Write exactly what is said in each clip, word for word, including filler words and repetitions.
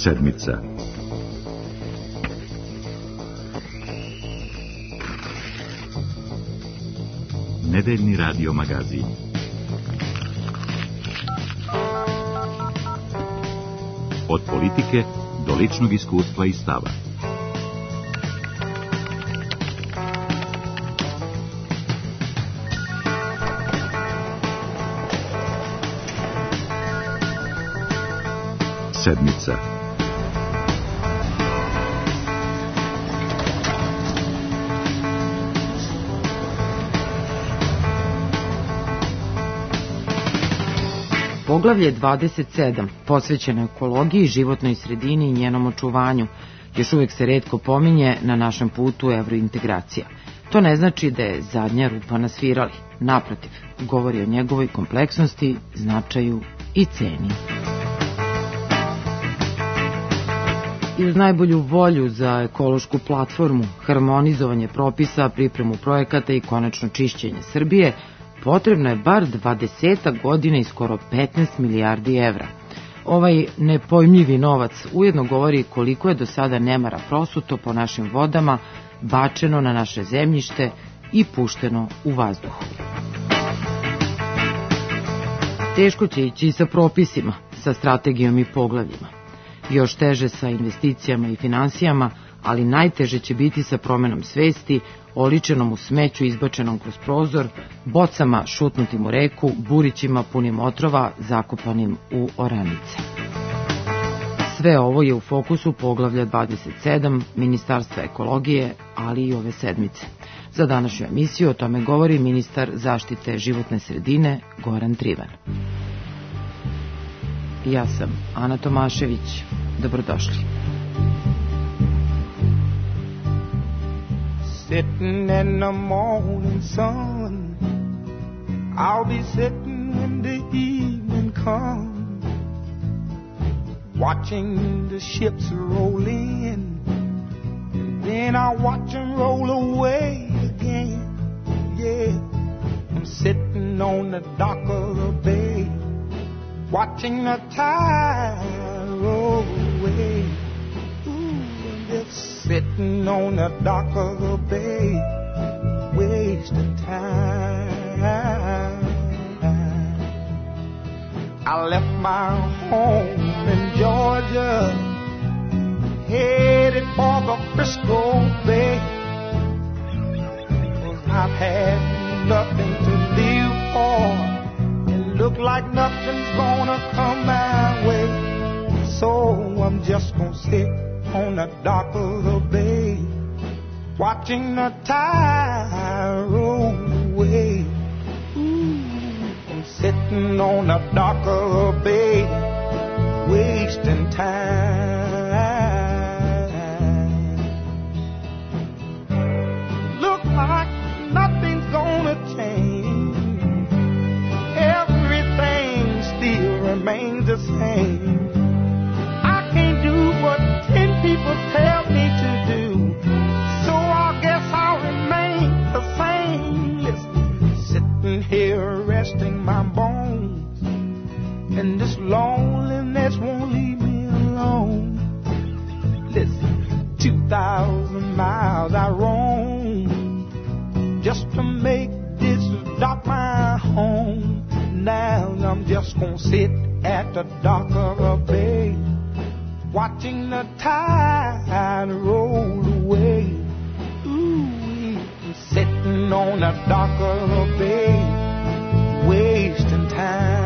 Sedmica. Nedeljni radio magazin. Od politike do ličnog iskustva i stava. Sedmica. Poglavlje dvadeset sedam, posvećeno ekologiji, životnoj sredini i njenom očuvanju, još uvijek se retko pominje na našem putu evrointegracija. To ne znači da je zadnja rupa na svirali. Naprotiv, govori o njegovoj kompleksnosti, značaju i ceni. I uz najbolju volju za ekološku platformu, harmonizovanje propisa, pripremu projekata i konačno čišćenje Srbije, potrebno je bar dvadesetak godina i skoro petnaest milijardi evra. Ovaj nepojmljivi novac ujedno govori koliko je do sada nemara prosuto po našim vodama, bačeno na naše zemljište i pušteno u vazduhu. Teško će ići i sa propisima, sa strategijom i poglavljima. Još teže sa investicijama i finansijama, ali najteže će biti sa promenom svesti, oličenom u smeću izbačenom kroz prozor, bocama šutnutim u reku, burićima punim otrova zakopanim u oranice. Sve ovo je u fokusu poglavlja dvadeset sedam Ministarstva ekologije, ali i ove sedmice. Za današnju emisiju o tome govori ministar zaštite životne sredine Goran Trivan. Ja sam Ana Tomašević. Dobrodošli. Sitting in the morning sun, I'll be sitting when the evening comes, watching the ships roll in, and then I'll watch them roll away again. Yeah, I'm sitting on the dock of the bay, watching the tide roll away. Ooh, just sitting on the dock of the bay, wasting time. I left my home in Georgia, headed for the Frisco Bay, 'cause I've had nothing to live for, and look like nothing's gonna come my way. So I'm just gonna sit on the dock of the bay, watching the tide roll away. Ooh, I'm sitting on the dock of the bay, wasting time. Look like nothing's gonna change, everything still remains the same. What ten people tell me to do, so I guess I'll remain the same. Listen, sitting here resting my bones, and this loneliness won't leave me alone. Listen, two thousand miles I roam just to make this dock my home. Now I'm just gonna sit at the dock of a bay, watching the tide roll away. Ooh, I'm sitting on the dock of the bay, wasting time.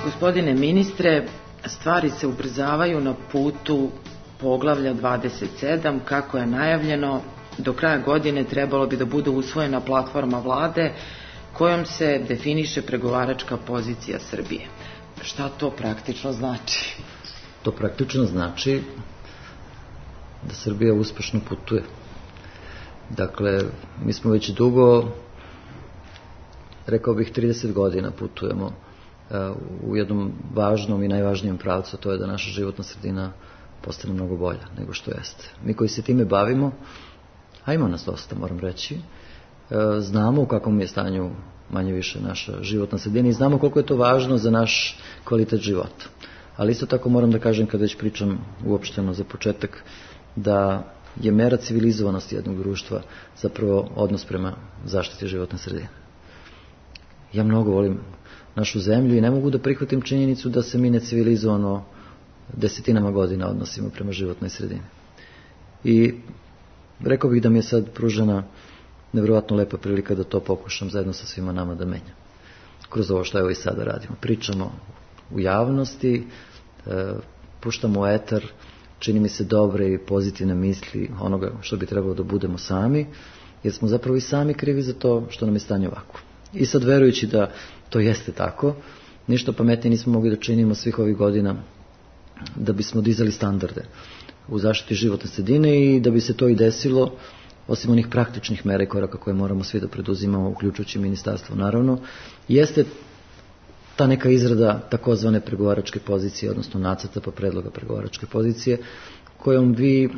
Gospodine ministre, stvari se ubrzavaju na putu poglavlja dvadeset sedam, kako je najavljeno, do kraja godine trebalo bi da bude usvojena platforma vlade kojom se definiše pregovaračka pozicija Srbije. Šta to praktično znači? To praktično znači da Srbija uspešno putuje. Dakle, mi smo već dugo, rekao bih trideset godina putujemo u jednom važnom i najvažnijem pravcu, to je da naša životna sredina postane mnogo bolja nego što jeste. Mi koji se time bavimo, a ima nas dosta, moram reći, znamo u kakvom je stanju manje više naša životna sredina i znamo koliko je to važno za naš kvalitet života. Ali isto tako moram da kažem, kada već pričam uopšteno za početak, da je mera civilizovanosti jednog društva zapravo odnos prema zaštiti životne sredine. Ja mnogo volim našu zemlju i ne mogu da prihvatim činjenicu da se mi necivilizovano desetinama godina odnosimo prema životnoj sredini. I rekao bih da mi je sad pružena nevjerovatno lepa prilika da to pokušam zajedno sa svima nama da menjam. Kroz ovo što evo i sada radimo. Pričamo u javnosti, e, puštamo u etar, čini mi se dobre i pozitivne misli onoga što bi trebalo da budemo sami, jer smo zapravo i sami krivi za to što nam je stanje ovako. I sad, verujući da to jeste tako, ništa pametnije nismo mogli da činimo svih ovih godina da bismo dizali standarde u zaštiti životne sredine i da bi se to i desilo, osim onih praktičnih mera i koraka koje moramo svi da preduzimamo, uključujući ministarstvo naravno, jeste ta neka izrada takozvane pregovaračke pozicije, odnosno nacrta pa predloga pregovaračke pozicije, kojom vi uh,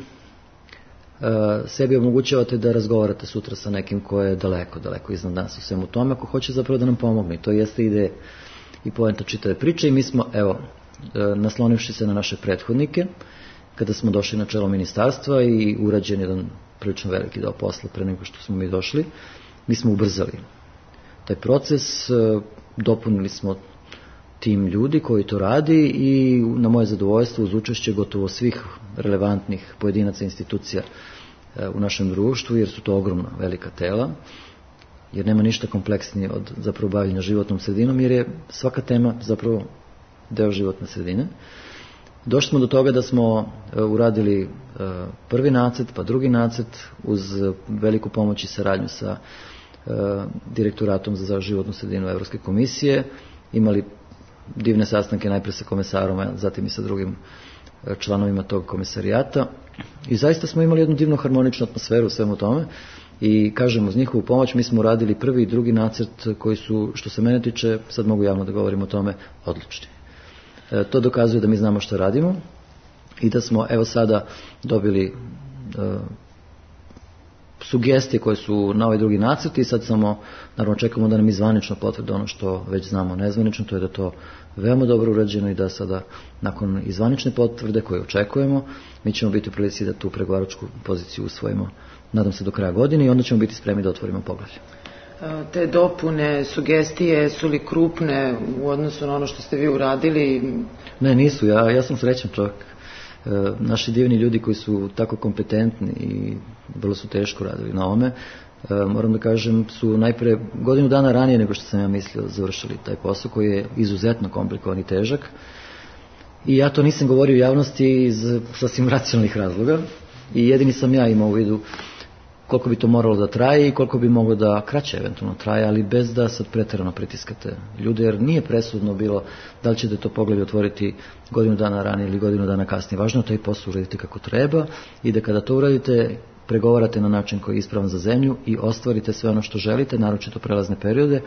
sebi omogućavate da razgovarate sutra sa nekim ko je daleko, daleko iznad nas u svemu tome, ako hoće zapravo da nam pomogne. To jeste ideja i poenta čitave priče i mi smo, evo, uh, naslonivši se na naše prethodnike, kada smo došli na čelo ministarstva i urađen jedan prilično veliki deo posla pre nego što smo mi došli, mi smo ubrzali taj proces, uh, dopunili smo tim ljudi koji to radi i na moje zadovoljstvo uz učešće gotovo svih relevantnih pojedinaca i institucija u našem društvu, jer su to ogromna velika tela, jer nema ništa kompleksnije od zapravo bavljenja životnom sredinom, jer je svaka tema zapravo deo životne sredine. Došli smo do toga da smo uradili prvi nacrt, pa drugi nacrt uz veliku pomoć i saradnju sa direktoratom za životnu sredinu Evropske komisije, imali divne sastanke najpre sa komesarom, a zatim i sa drugim članovima tog komisarijata i zaista smo imali jednu divnu harmoničnu atmosferu u svemu tome i kažem, uz njihovu pomoć mi smo uradili prvi i drugi nacrt koji su, što se mene tiče, sad mogu javno da govorim o tome, odlični. E, to dokazuje da mi znamo što radimo i da smo evo sada dobili e, sugestije koje su na ovaj drugi nacrt i sad samo, naravno, čekamo da nam izvanično potvrde ono što već znamo nezvanično, to je da to veoma dobro urađeno i da sada, nakon izvanične potvrde koje očekujemo, mi ćemo biti u prilici da tu pregovaračku poziciju usvojimo, nadam se, do kraja godine i onda ćemo biti spremni da otvorimo poglavlje. Te dopune, sugestije, su li krupne u odnosu na ono što ste vi uradili? Ne, nisu. Ja, ja sam srećan čovjek. E, naši divni ljudi koji su tako kompetentni i vrlo su teško radili na ome, e, moram da kažem, su najpre godinu dana ranije nego što sam ja mislio završili taj posao koji je izuzetno komplikovan i težak. I ja to nisam govorio u javnosti iz sasvim racionalnih razloga i jedini sam ja imao u vidu koliko bi to moralo da traje i koliko bi moglo da kraće eventualno traje, ali bez da sad preterano pritiskate ljude, jer nije presudno bilo da li ćete to poglavlje otvoriti godinu dana ranije ili godinu dana kasnije. Važno je taj posao uraditi kako treba i da kada to uradite, pregovarate na način koji je ispravan za zemlju i ostvarite sve ono što želite, naročito prelazne periode,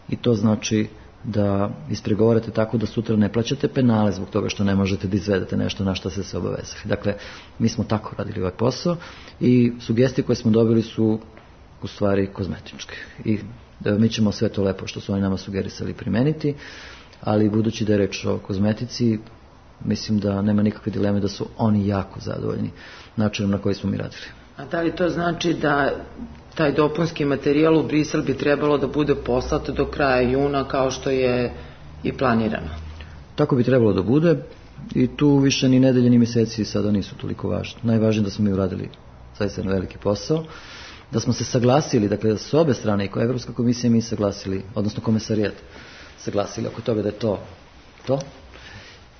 i to znači da ispregovarate tako da sutra ne plaćate penale zbog toga što ne možete da izvedete nešto na što ste se obavezali. Dakle, mi smo tako radili ovaj posao i sugestije koje smo dobili su u stvari kozmetičke. I mi ćemo sve to lepo što su oni nama sugerisali primeniti, ali budući da je reč o kozmetici, mislim da nema nikakve dileme da su oni jako zadovoljni načinom na koji smo mi radili. A da li to znači da taj dopunski materijal u Brisel bi trebalo da bude poslat do kraja juna kao što je i planirano? Tako bi trebalo da bude i tu više ni nedelje ni mjeseci sada nisu toliko važni. Najvažnije je da smo mi uradili zaista jedan veliki posao, da smo se saglasili, dakle da s obe strane, i kao Evropska komisija mi saglasili, odnosno komesarijat saglasili oko toga da je to to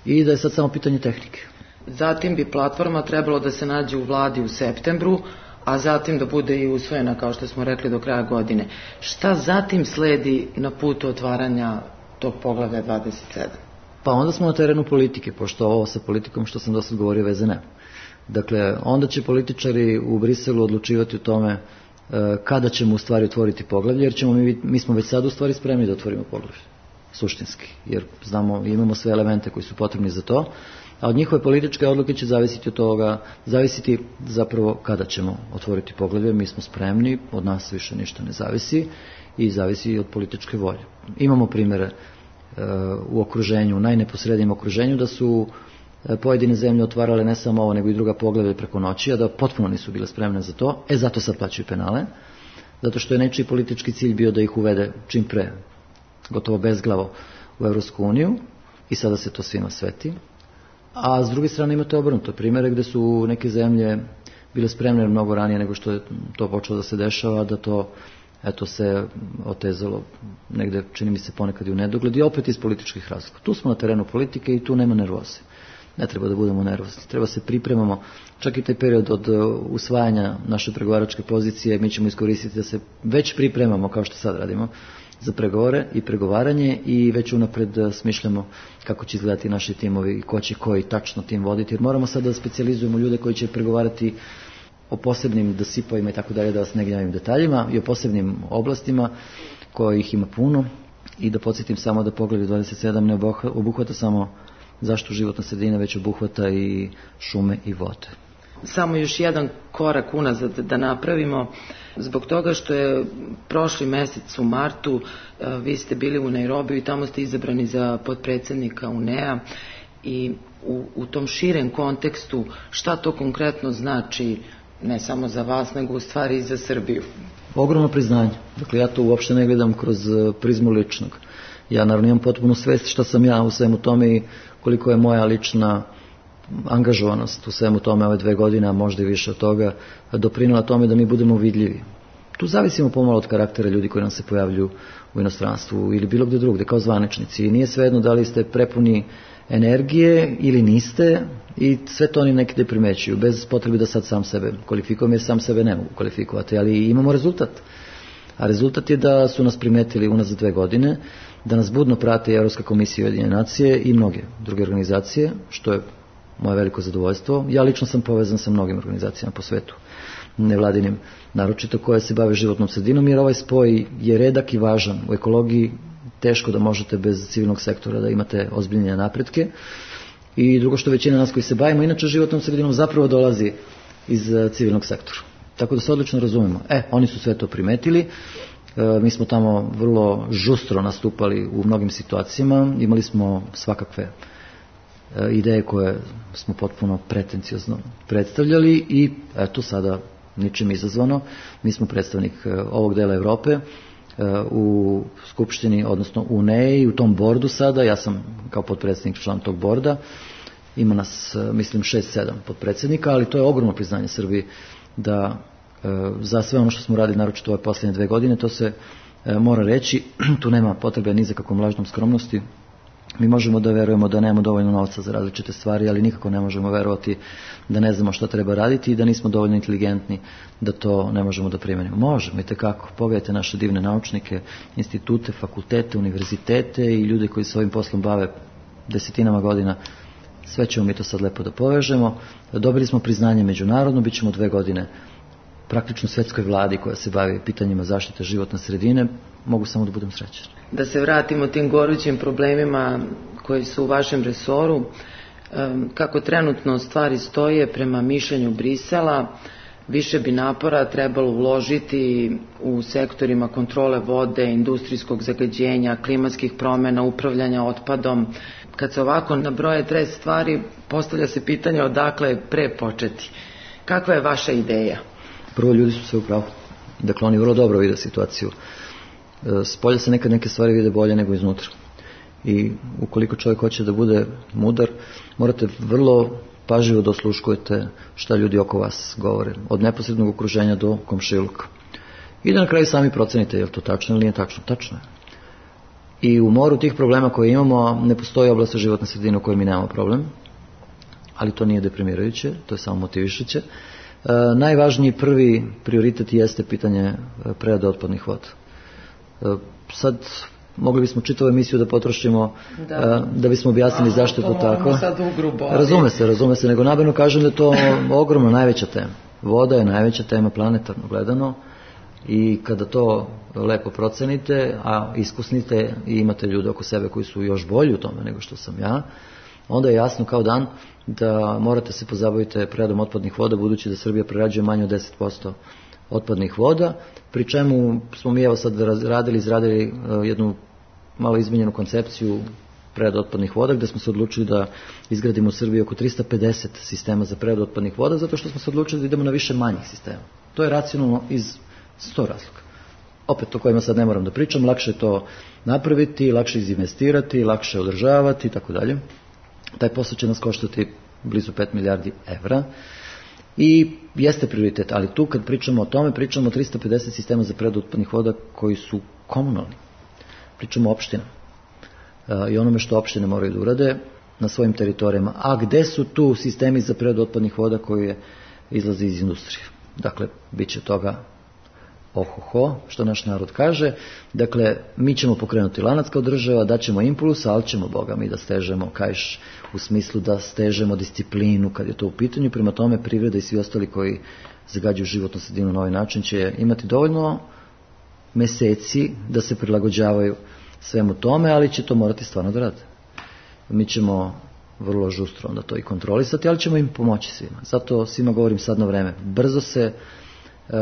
i da je sad samo pitanje tehnike. Zatim bi platforma trebalo da se nađe u vladi u septembru, a zatim da bude i usvojena, kao što smo rekli, do kraja godine. Šta zatim sledi na putu otvaranja tog poglavlja dvadeset sedam? Pa onda smo na terenu politike, pošto ovo sa politikom što sam do sad govorio veze nema. Dakle, onda će političari u Briselu odlučivati o tome kada ćemo u stvari otvoriti poglavlje, jer ćemo mi, mi smo već sad u stvari spremni da otvorimo poglavlje, suštinski, jer znamo, imamo sve elemente koji su potrebni za to, a od njihove političke odluke će zavisiti od toga, zavisiti zapravo kada ćemo otvoriti poglavlje. Mi smo spremni, od nas više ništa ne zavisi i zavisi od političke volje. Imamo primjere uh, u okruženju, u najneposrednijem okruženju, da su pojedine zemlje otvarale ne samo ovo, nego i druga poglavlja preko noći, a da potpuno nisu bile spremne za to. E, zato sad plaćaju penale, zato što je nečiji politički cilj bio da ih uvede čim pre, gotovo bezglavo, u Evropsku uniju, i sada se to svima sveti. A s druge strane imate obrnuto primjere gde su neke zemlje bile spremne mnogo ranije nego što je to počelo da se dešava, da to eto se otezalo negde, čini mi se ponekad i u nedogled, i opet iz političkih razloga. Tu smo na terenu politike i tu nema nervoze. Ne treba da budemo nervozni, treba se pripremamo. Čak i taj period od usvajanja naše pregovaračke pozicije mi ćemo iskoristiti da se već pripremamo, kao što sad radimo, za pregovore i pregovaranje, i već unapred smišljamo kako će izgledati naši timovi i ko će koji tačno tim voditi, jer moramo sad da specijalizujemo ljude koji će pregovarati o posebnim dosipovima i tako dalje, da vas ne gnjavim detaljima, i o posebnim oblastima kojih ima puno, i da podsjetim samo da poglavlje dvadeset sedam ne obuhvata samo zaštitu životne sredine, već obuhvata i šume i vode. Samo još jedan korak unazad da napravimo, zbog toga što je prošli mesec u martu vi ste bili u Nairobiju i tamo ste izabrani za potpredsjednika U N E A, i u, u tom širem kontekstu šta to konkretno znači ne samo za vas, nego u stvari i za Srbiju? Ogromno priznanje. Dakle, ja to uopšte ne gledam kroz prizmu ličnog. Ja naravno imam potpunu svest šta sam ja u svemu tome i koliko je moja lična angažovanost u svemu tome ove dve godine, a možda i više od toga, doprinela tome da mi budemo vidljivi. Tu zavisimo pomalo od karaktera ljudi koji nam se pojavljuju u inostranstvu ili bilo gde drugde, kao zvaničnici. I nije svejedno da li ste prepuni energije ili niste, i sve to oni nekde primećuju, bez potrebe da sad sam sebe kvalifikujem, jer sam sebe ne mogu kvalifikovati, ali imamo rezultat. A rezultat je da su nas primetili unazad dve godine, da nas budno prate i Evropska komisija Ujedinjene nacije i mnoge druge organizacije, što je moje veliko zadovoljstvo. Ja lično sam povezan sa mnogim organizacijama po svetu, nevladinim, naročito koje se bave životnom sredinom, jer ovaj spoj je redak i važan. U ekologiji teško da možete bez civilnog sektora da imate ozbiljne napretke, i drugo što većina nas koji se bavimo inače životnom sredinom zapravo dolazi iz civilnog sektora. Tako da se odlično razumemo. E, oni su sve to primetili. E, mi smo tamo vrlo žustro nastupali u mnogim situacijama. Imali smo svakakve e, ideje koje smo potpuno pretenciozno predstavljali, i eto sada ničim izazvano. Mi smo predstavnik e, ovog dela Evrope e, u Skupštini, odnosno u U N E A i u tom bordu sada. Ja sam kao potpredsjednik član tog borda. Ima nas, mislim, šest sedam potpredsjednika, ali to je ogromno priznanje Srbiji da e, za sve ono što smo radili, naročito ove posljednje dve godine, to se e, mora reći. Tu nema potrebe ni za kakvom lažnom skromnosti. Mi možemo da verujemo da nemamo dovoljno novca za različite stvari, ali nikako ne možemo verovati da ne znamo šta treba raditi i da nismo dovoljno inteligentni da to ne možemo da primenimo. Možemo, i tekako. Pogledajte naše divne naučnike, institute, fakultete, univerzitete i ljude koji se ovim poslom bave desetinama godina. Sve ćemo mi to sad lepo da povežemo. Dobili smo priznanje međunarodno, bit ćemo dve godine praktično svetskoj vladi koja se bavi pitanjima zaštite životne sredine. Mogu samo da budem srećan. Da se vratimo tim gorućim problemima koji su u vašem resoru. Kako trenutno stvari stoje prema mišljenju Brisela, više bi napora trebalo uložiti u sektorima kontrole vode, industrijskog zagađenja, klimatskih promjena, upravljanja otpadom. Kad se ovako nabroje tre stvari, postavlja se pitanje odakle pre početi. Kakva je vaša ideja? Prvo, ljudi su sve u pravu. Dakle, oni vrlo dobro vide situaciju. Spolja se nekad neke stvari vide bolje nego iznutra. I ukoliko čovjek hoće da bude mudar, morate vrlo pažljivo da osluškujete šta ljudi oko vas govore, od neposrednog okruženja do komšiluka. I da na kraju sami procenite je li to tačno ili nije tačno. Tačno je. I u moru tih problema koje imamo ne postoji oblast životne sredine u kojoj mi nemamo problem, ali to nije deprimirajuće, to je samo motivišuće. najvažniji prvi prioritet jeste pitanje prerade otpadnih voda. Sad mogli bismo čitavu emisiju da potrošimo da, da bismo objasnili a, zašto je to, to tako. Ugrubo, ali... Razume se, razume se, nego namerno kažem da je to ogromno najveća tema. Voda je najveća tema planetarno gledano i kada to lepo procenite, a iskusnite i imate ljude oko sebe koji su još bolji u tome nego što sam ja, onda je jasno kao dan da morate se pozabaviti preradom otpadnih voda, budući da Srbija prerađuje manje od deset posto otpadnih voda, pri čemu smo mi evo sad radili, izradili jednu malo izmenjenu koncepciju prerade otpadnih voda, gde smo se odlučili da izgradimo u Srbiji oko tristo pedeset sistema za preradu otpadnih voda, zato što smo se odlučili da idemo na više manjih sistema. To je racionalno iz sto razloga. Opet o kojima sad ne moram da pričam, lakše je to napraviti, lakše izinvestirati, lakše održavati i tako dalje. Taj posao će nas koštati blizu pet milijardi evra i jeste prioritet, ali tu kad pričamo o tome, pričamo o tristo pedeset sistema za preradu otpadnih voda koji su komunalni. Pričamo o opštinama i onome što opštine moraju da urade na svojim teritorijama. A gde su tu sistemi za preradu otpadnih voda koji izlaze iz industrije? Dakle, bit će toga ohoho, što naš narod kaže. Dakle, mi ćemo pokrenuti lanac kao država, daćemo impuls, ali ćemo, Boga mi, da stežemo kajš u smislu da stežemo disciplinu kad je to u pitanju. Prema tome, privreda i svi ostali koji zagađuju životnu sredinu na ovaj način će imati dovoljno meseci da se prilagođavaju svemu tome, ali će to morati stvarno da rade. Mi ćemo vrlo žustro onda to i kontrolisati, ali ćemo im pomoći svima. Zato svima govorim sad na vreme. Brzo se e,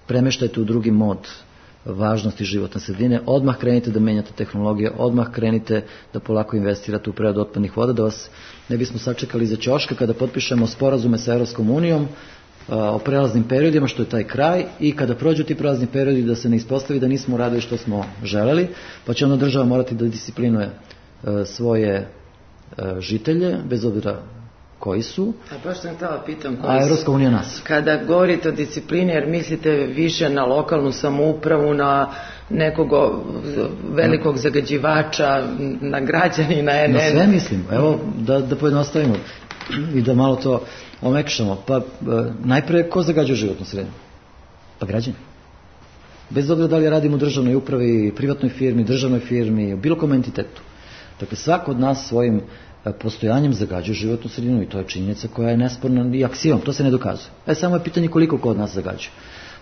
premeštajte u drugi mod važnosti životne sredine, odmah krenite da menjate tehnologije, odmah krenite da polako investirate u preradu otpadnih voda, da vas ne bismo sačekali za ćoška kada potpišemo sporazume sa Evropskom unijom o prelaznim periodima, što je taj kraj, i kada prođu ti prelazni periodi da se ne ispostavi da nismo uradili što smo želeli, pa će onda država morati da disciplinuje svoje žitelje, bez obzira koji su. A baš sam htjela pitam koji a Evropska unija nas. Kada govorite o disciplini, jer mislite više na lokalnu samoupravu, na nekog velikog zagađivača, na građanina, na Na sve mislim. Evo, da, da pojednostavimo i da malo to omekšamo. Pa najpre, ko zagađuje životnu sredinu? Pa građani. Bez obzira da li radimo u državnoj upravi, privatnoj firmi, državnoj firmi, bilo kom entitetu. Dakle, svako od nas svojim postojanjem zagađuje životnu sredinu i to je činjenica koja je nesporna i aksiom, to se ne dokazuje. E, samo je pitanje koliko ko od nas zagađuje.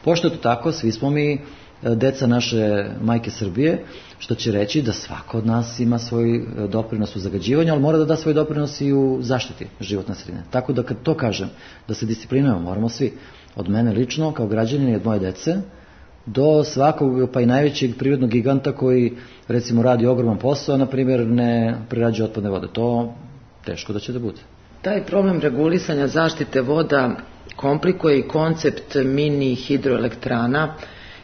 Pošto je to tako, svi smo mi deca naše majke Srbije, što će reći da svako od nas ima svoj doprinos u zagađivanju, ali mora da da svoj doprinos i u zaštiti životne sredine. Tako da kad to kažem, da se disciplinujemo, moramo svi, od mene lično, kao građanin i od moje dece, do svakog, pa i najvećeg prirodnog giganta koji, recimo, radi ogroman posao, na primjer, ne prerađuje otpadne vode. To teško da će da bude. Taj problem regulisanja zaštite voda komplikuje i koncept mini hidroelektrana.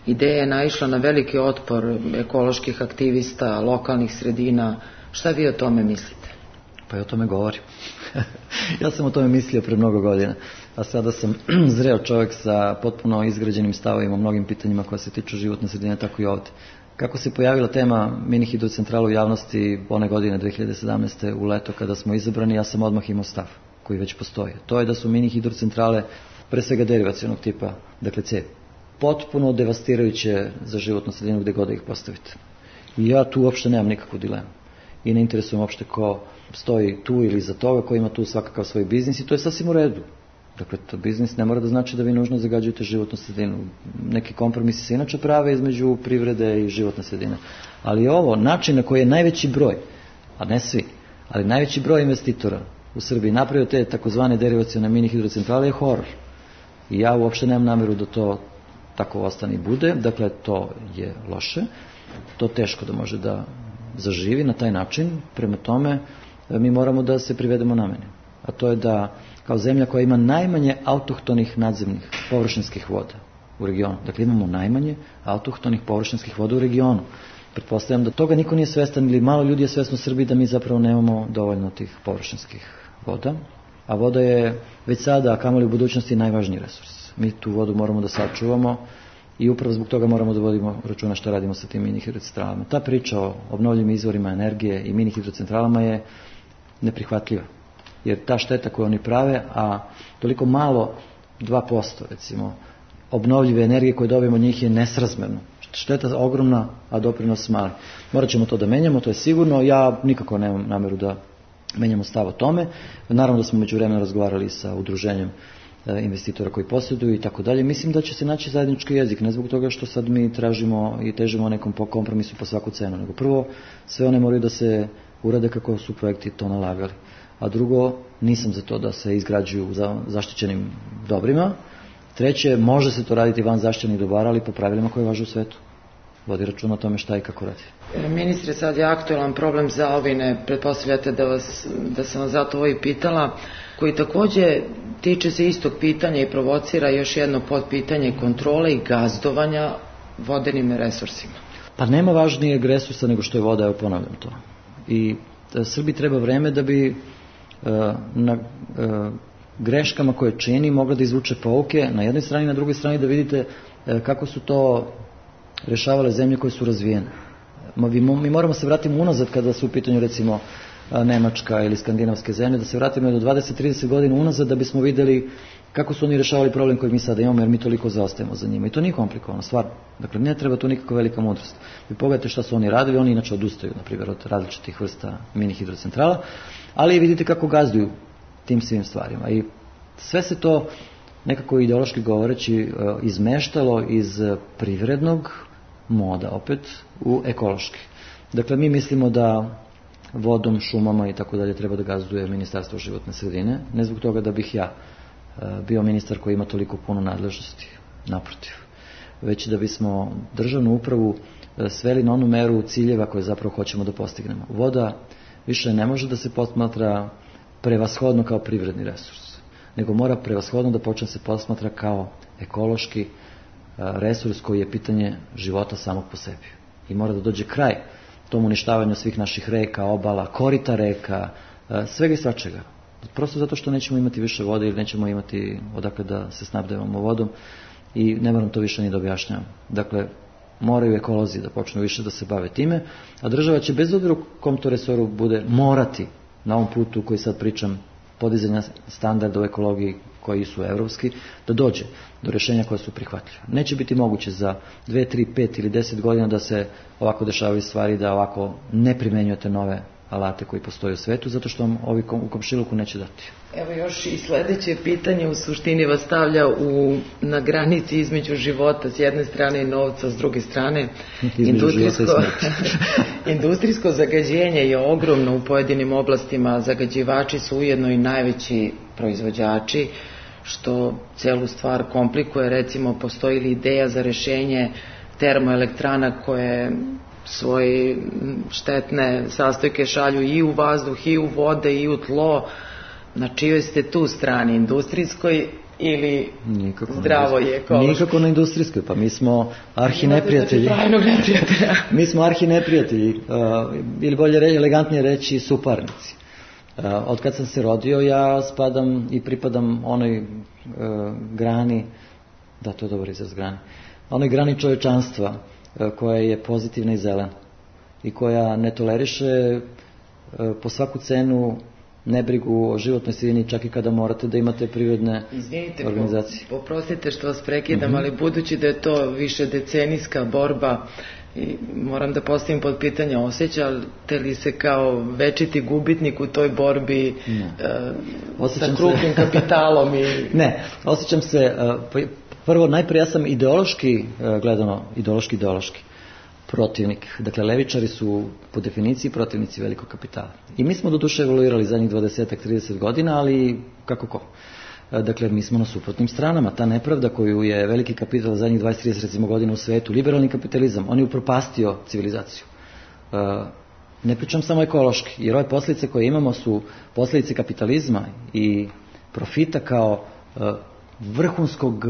Ideja je naišla na veliki otpor ekoloških aktivista, lokalnih sredina. Šta vi o tome mislite? Pa i o tome govorim. Ja sam o tome mislio pre mnogo godina, a sada sam zreo čovjek sa potpuno izgrađenim stavovima o mnogim pitanjima koja se tiču životne sredine, tako i ovdje. Kako se pojavila tema mini hidrocentrala u javnosti one godine dve hiljade sedamnaeste u leto kada smo izabrani, ja sam odmah imao stav koji već postoji. To je da su mini hidrocentrale pre svega derivacionog tipa, dakle cevi, potpuno devastirajuće za životnu sredinu gde god da ih postavite. I ja tu uopšte nemam nikakvu dilemu. I ne interesujem uopšte ko stoji tu ili za toga, ko ima tu svakakav svoj biznis i to je sasvim u redu. Dakle, to biznis ne mora da znači da vi nužno zagađujete životnu sredinu. Neki kompromisi se inače prave između privrede i životne sredine. Ali ovo, način na koji je najveći broj, a ne svi, ali najveći broj investitora u Srbiji napravio te takozvane derivacione mini hidrocentrale je horor. I ja uopšte nemam namjeru da to tako ostane i bude. Dakle, to je loše. To teško da može da zaživi na taj način. Prema tome, mi moramo da se privedemo nameni. A to je da kao zemlja koja ima najmanje autohtonih nadzemnih površinskih voda u regionu. Dakle, imamo najmanje autohtonih površinskih voda u regionu. Pretpostavljam da toga niko nije svestan ili malo ljudi je svesno u Srbiji da mi zapravo nemamo dovoljno tih površinskih voda. A voda je već sada, a kamoli u budućnosti, najvažniji resurs. Mi tu vodu moramo da sačuvamo i upravo zbog toga moramo da vodimo računa šta radimo sa tim mini hidrocentralama. Ta priča o obnovljivim izvorima energije i mini hidrocentralama je neprihvatljiva. Jer ta šteta koju oni prave, a toliko malo dva posto recimo obnovljive energije koje dobijemo od njih je nesrazmerno. Šteta ogromna, a doprinos mali. Morat ćemo to da menjamo, to je sigurno. Ja nikako nemam nameru da menjamo stav o tome. Naravno da smo međuvremeno razgovarali sa udruženjem investitora koji posjeduju i tako dalje. Mislim da će se naći zajednički jezik, ne zbog toga što sad mi tražimo i težimo nekom kompromisu po svaku cenu, nego prvo sve one moraju da se urade kako su projekti to nalagali. A drugo, nisam za to da se izgrađuju za zaštićenim dobrima. Treće, može se to raditi van zaštićenih dobara, ali po pravilima koje važe u svetu. Vodi račun o tome šta i kako radi. Ministre, sad je aktualan problem zaovine, pretpostavljate da, vas, da sam vas zato ovo i pitala, koji takođe tiče se istog pitanja i provocira još jedno podpitanje kontrole i gazdovanja vodenim resursima. Pa nema važnijeg resursa nego što je voda, evo ponavljam to. I Srbiji treba vreme da bi uh, na uh, greškama koje čini mogla da izvuče pouke na jednoj strani, na drugoj strani da vidite uh, kako su to rešavale zemlje koje su razvijene. Mi, mi moramo se vratiti unazad kada su u pitanju recimo Nemačka ili skandinavske zemlje, da se vratimo do dvadeset do trideset godina unazad da bismo videli kako su oni rešavali problem koji mi sada imamo, jer mi toliko zaostajemo za njima. I to nije komplikovano, stvarno. Dakle, ne treba tu nikakva velika mudrost. Vi pogledajte šta su oni radili, oni inače odustaju, na primjer, od različitih vrsta mini hidrocentrala, ali vidite kako gazduju tim svim stvarima. I sve se to nekako ideološki govoreći izmeštalo iz privrednog moda opet u ekološki. Dakle, mi mislimo da vodom, šumama i tako dalje treba da gazduje Ministarstvo životne sredine, ne zbog toga da bih ja bio ministar koji ima toliko puno nadležnosti, naprotiv, već da bismo državnu upravu sveli na onu meru ciljeva koje zapravo hoćemo da postignemo. Voda više ne može da se posmatra prevashodno kao privredni resurs, nego mora prevashodno da počne se posmatra kao ekološki resurs koji je pitanje života samog po sebi. I mora da dođe kraj tom uništavanju svih naših reka, obala, korita reka, svega i svačega. Prosto zato što nećemo imati više vode ili nećemo imati odakle da se snabdevamo vodom i ne moram to više ni da objašnjavam. Dakle, moraju ekolozi da počnu više da se bave time, a država će bez obzira u kom to resoru bude morati na ovom putu koji sad pričam podizanja standarda u ekologiji koji su evropski, da dođe do rješenja koja su prihvatljiva. Neće biti moguće za dve, tri, pet ili deset godina da se ovako dešavaju stvari, da ovako ne primenjujete nove alate koji postoje u svetu, zato što vam ovi u komšiluku neće dati. Evo još i sledeće pitanje u suštini vas stavlja u, na granici između života s jedne strane i novca s druge strane. Industrijsko, industrijsko zagađenje je ogromno u pojedinim oblastima, zagađivači su ujedno i najveći proizvođači, što celu stvar komplikuje. Recimo, postoji li ideja za rešenje termoelektrana koje svoje štetne sastojke šalju i u vazduh, i u vode, i u tlo. Na čijoj ste tu strani, industrijskoj ili nikako zdravoj i ekološkoj? Nikako na industrijskoj, pa mi smo arhi neprijatelji. Mi smo arhi neprijatelji, uh, ili bolje reći, elegantnije reći, suparnici. Uh, od kad sam se rodio, ja spadam i pripadam onoj uh, grani, da, to je dobar izraz, grani, onoj grani čovečanstva koja je pozitivna i zelena i koja ne toleriše po svaku cenu nebrigu o životnoj sredini, čak i kada morate da imate privredne Izvinite, organizacije. Izvinite, poprostite što vas prekidam, mm-hmm. ali budući da je to više decenijska borba i moram da postavim pod pitanje, osjećate li se kao večiti gubitnik u toj borbi uh, sa krupnim kapitalom? I... Ne, osjećam se... Uh, Prvo, najprije ja sam ideološki gledano, ideološki, ideološki protivnik. Dakle, levičari su po definiciji protivnici velikog kapitala. I mi smo do duše evoluirali zadnjih dvadeset do trideset godina, ali kako ko? Dakle, mi smo na suprotnim stranama. Ta nepravda koju je veliki kapital zadnjih dvadeset do trideset recimo godina u svetu, liberalni kapitalizam, on je upropastio civilizaciju. Ne pričam samo ekološki, jer ove posljedice koje imamo su posljedice kapitalizma i profita kao vrhunskog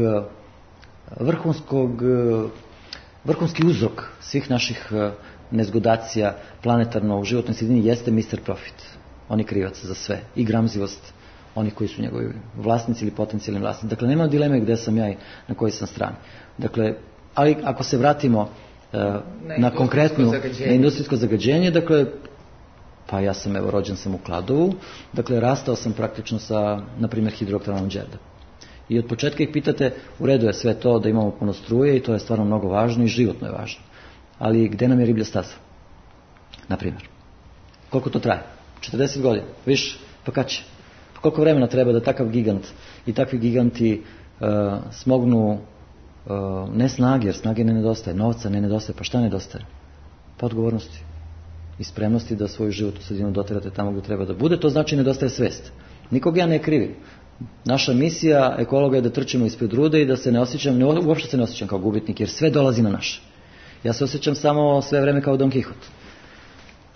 vrhunskog vrhunski uzrok svih naših nezgodacija planetarno u životnoj sredini jeste mister Profit. On je krivac za sve i gramzivost onih koji su njegovi vlasnici ili potencijalni vlasnici. Dakle, nema dileme gde sam ja i na kojoj sam strani. Dakle, ali ako se vratimo uh, na, na konkretnu na industrijsko zagađenje, dakle, pa ja sam, evo, rođen sam u Kladovu, dakle, rastao sam praktično sa, na primjer, hidroelektranom Đerdap. I od početka ih pitate, u redu je sve to da imamo puno struje i to je stvarno mnogo važno i životno je važno. Ali gde nam je riblja staza? Naprimjer. Koliko to traje? četrdeset godina? Više? Pa kad će? Pa koliko vremena treba da takav gigant i takvi giganti uh, smognu uh, ne snage, jer snage ne nedostaje, novca ne nedostaje, pa šta nedostaje? Pa odgovornosti i spremnosti da svoju životnu sredinu doterate tamo gdje treba da bude, to znači nedostaje svest. Nikog ja ne krivim. Naša misija ekologa je da trčimo ispred rude i da se ne osjećam, ne, uopšte se ne osjećam kao gubitnik, jer sve dolazi na naše. Ja se osjećam samo sve vreme kao Don Kihot.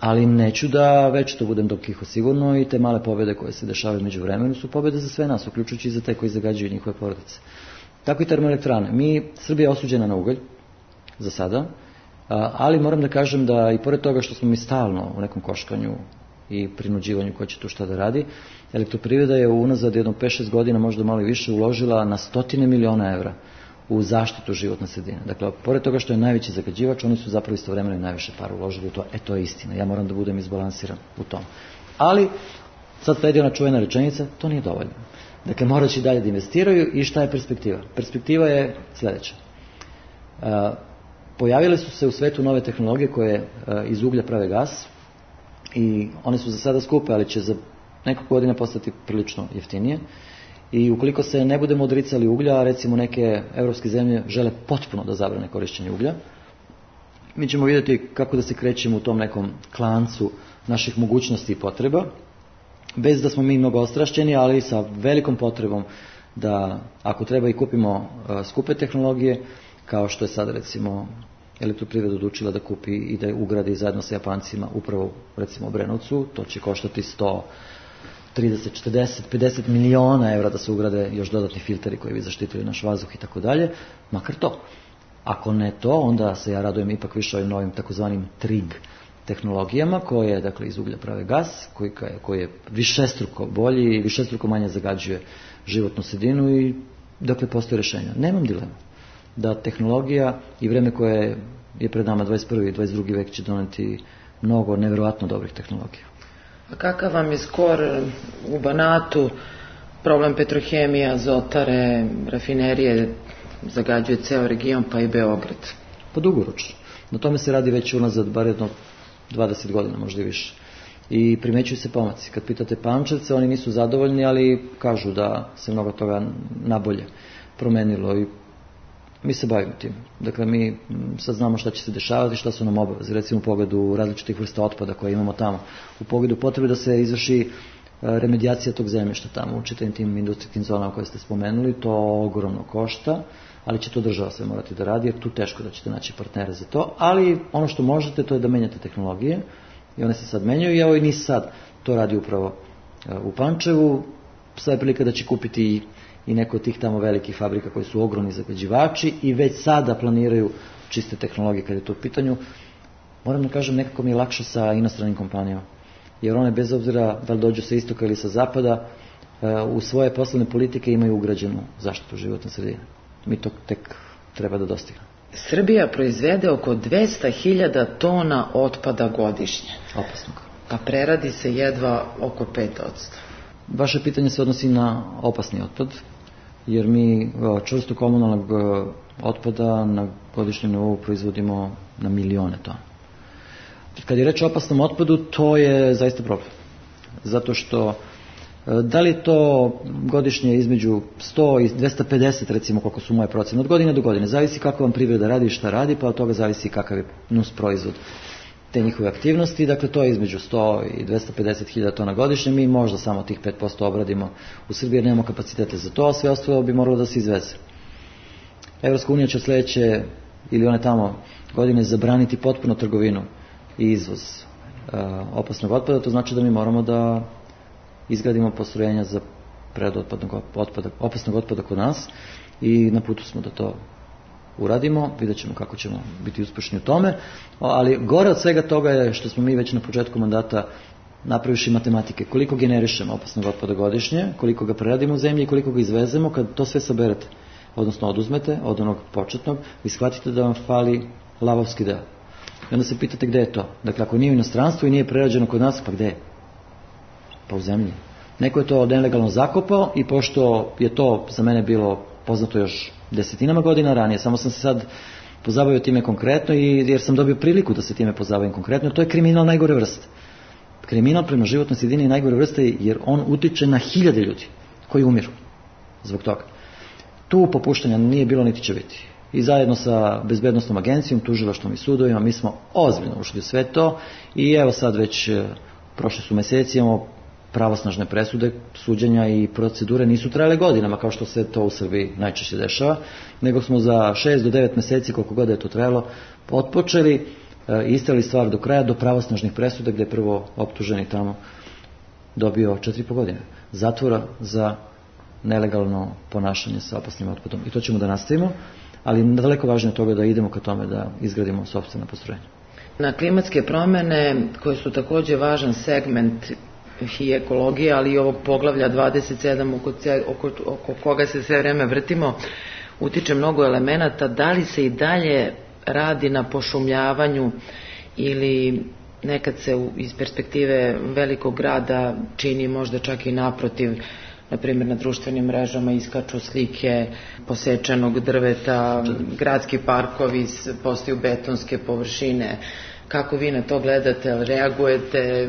Ali neću da već to budem Don Kihot sigurno i te male pobjede koje se dešavaju među vremenu su pobjede za sve nas, uključujući i za te koji zagađuju njihove porodice. Tako i termoelektrane. Mi, Srbija je osuđena na ugalj, za sada, ali moram da kažem da i pored toga što smo mi stalno u nekom koškanju i prinuđivanju ko će tu šta da radi, Elektroprivreda je unazad jedno pet šest godina, možda malo i više, uložila na stotine miliona evra u zaštitu životne sredine. Dakle, pored toga što je najveći zagađivač, oni su zapravo istovremeno i najviše para uložili u to. E, to je istina. Ja moram da budem izbalansiran u tom. Ali, sad sledi ona čuvena rečenica, to nije dovoljno. Dakle, morat će dalje da investiraju i šta je perspektiva? Perspektiva je sljedeća. Uh, pojavile su se u svetu nove tehnologije koje uh, iz uglja prave gas i one su za sada skupe, ali će za nekog godina postati prilično jeftinije. I ukoliko se ne budemo odricali uglja, recimo neke evropske zemlje žele potpuno da zabrane korišćenje uglja, mi ćemo vidjeti kako da se krećemo u tom nekom klancu naših mogućnosti i potreba, bez da smo mi mnogo ostrašćeni, ali sa velikom potrebom da, ako treba, i kupimo uh, skupe tehnologije, kao što je sad recimo Elektroprivreda odlučila da kupi i da je ugradi zajedno sa Japancima upravo recimo u Brenovcu, to će koštati sto trideset, četrdeset, pedeset miliona evra da se ugrade još dodatni filteri koji bi zaštitili naš vazduh i tako dalje, makar to. Ako ne to, onda se ja radujem ipak više ovim novim takozvanim trig tehnologijama koje, dakle, iz uglja prave gas, koji, koji je višestruko bolji i višestruko manje zagađuje životnu sredinu i, dakle, postoje rješenja. Nemam dilema da tehnologija i vreme koje je pred nama dvadeset prvi i dvadeset drugi vek će doneti mnogo nevjerovatno dobrih tehnologija. A kakav vam je skor u Banatu, problem petrohemije, azotare, rafinerije, zagađuje ceo region pa i Beograd? Pa dugoročno. Na tome se radi već unazad bar jedno dvadeset godina, možda i više. I primećuju se pomaci. Kad pitate Pančevce, oni nisu zadovoljni, ali kažu da se mnogo toga nabolje promenilo i mi se bavimo tim. Dakle, mi sad znamo šta će se dešavati, šta su nam obaveze. Recimo u pogledu različitih vrsta otpada koje imamo tamo. U pogledu potrebe da se izvrši remedijacija tog zemljišta tamo u čitavim tim industrijskim zonama koje ste spomenuli. To ogromno košta, ali će to država sve morati da radi, jer tu teško da ćete naći partnere za to. Ali ono što možete, to je da menjate tehnologije i one se sad menjaju i evo i NIS sad to radi upravo u Pančevu. Sada je prilika da će kupiti i i neko od tih tamo velikih fabrika koji su ogromni zagađivači i već sada planiraju čiste tehnologije kada je to u pitanju. Moram da kažem, nekako mi je lakše sa inostranim kompanijama, jer one bez obzira da li dođu sa istoka ili sa zapada, u svoje poslovne politike imaju ugrađenu zaštitu životne sredine. Mi to tek treba da dostignemo. Srbija proizvede oko dvesta hiljada tona otpada godišnje. Opasnog. A preradi se jedva oko pet posto. Vaše pitanje se odnosi na opasni otpad, jer mi čvrsto komunalnog otpada na godišnjem nivou proizvodimo na milione tona. Kad je reč o opasnom otpadu, to je zaista problem. Zato što, da li je to godišnje između sto i dvesta pedeset, recimo, koliko su moje procene, od godine do godine, zavisi kako vam privreda radi i šta radi, pa od toga zavisi kakav je nus proizvod te njihove aktivnosti, dakle to je između sto i dvesta pedeset hiljada tona godišnje, mi možda samo tih pet posto obradimo u Srbiji jer nemamo kapacitete za to, a sve ostalo bi moralo da se izveze. Evropska unija će sljedeće ili one tamo godine zabraniti potpuno trgovinu i izvoz uh, opasnog otpada, to znači da mi moramo da izgradimo postrojenja za preradu otpadnog otpada, opasnog otpada kod nas i na putu smo da to uradimo, vidjet ćemo kako ćemo biti uspješni u tome, ali gore od svega toga je što smo mi već na početku mandata napraviši matematike, koliko generišemo opasnog otpada godišnje, koliko ga preradimo u zemlji i koliko ga izvezemo, kad to sve saberete, odnosno oduzmete od onog početnog, vi shvatite da vam fali lavovski deo. I onda se pitate gde je to. Dakle, ako nije u inostranstvu i nije prerađeno kod nas, pa gde je? Pa u zemlji. Neko je to nelegalno zakopao i pošto je to za mene bilo poznato još desetinama godina ranije, samo sam se sad pozabavio time konkretno i jer sam dobio priliku da se time pozabavim konkretno, to je kriminal najgore vrste. Kriminal prema životnoj sredini je najgore vrste jer on utiče na hiljade ljudi koji umiru zbog toga. Tu popuštanja nije bilo niti će biti. I zajedno sa bezbednostnom agencijom, tužilaštvom i sudovima mi smo ozbiljno ušli u sve to i evo sad već prošli su meseci, imamo pravosnažne presude, suđenja i procedure nisu trajale godinama kao što se to u Srbiji najčešće dešava, nego smo za šest do devet meseci, koliko god je to trajalo, otpočeli i istrali stvar do kraja, do pravosnažnih presuda gdje je prvo optuženi tamo dobio četiri i po godine zatvora za nelegalno ponašanje sa opasnim otpadom. I to ćemo da nastavimo, ali daleko važnije od toga da idemo ka tome da izgradimo sopstvena postrojenja. Na klimatske promjene, koje su također važan segment i ekologije, ali i ovog poglavlja dvadeset sedam oko, oko, oko koga se sve vreme vrtimo, utiče mnogo elemenata. Da li se i dalje radi na pošumljavanju ili nekad se iz perspektive velikog grada čini možda čak i naprotiv, na primjer na društvenim mrežama iskaču slike posečenog drveta, gradski parkovi postaju betonske površine. Kako vi na to gledate, jel reagujete,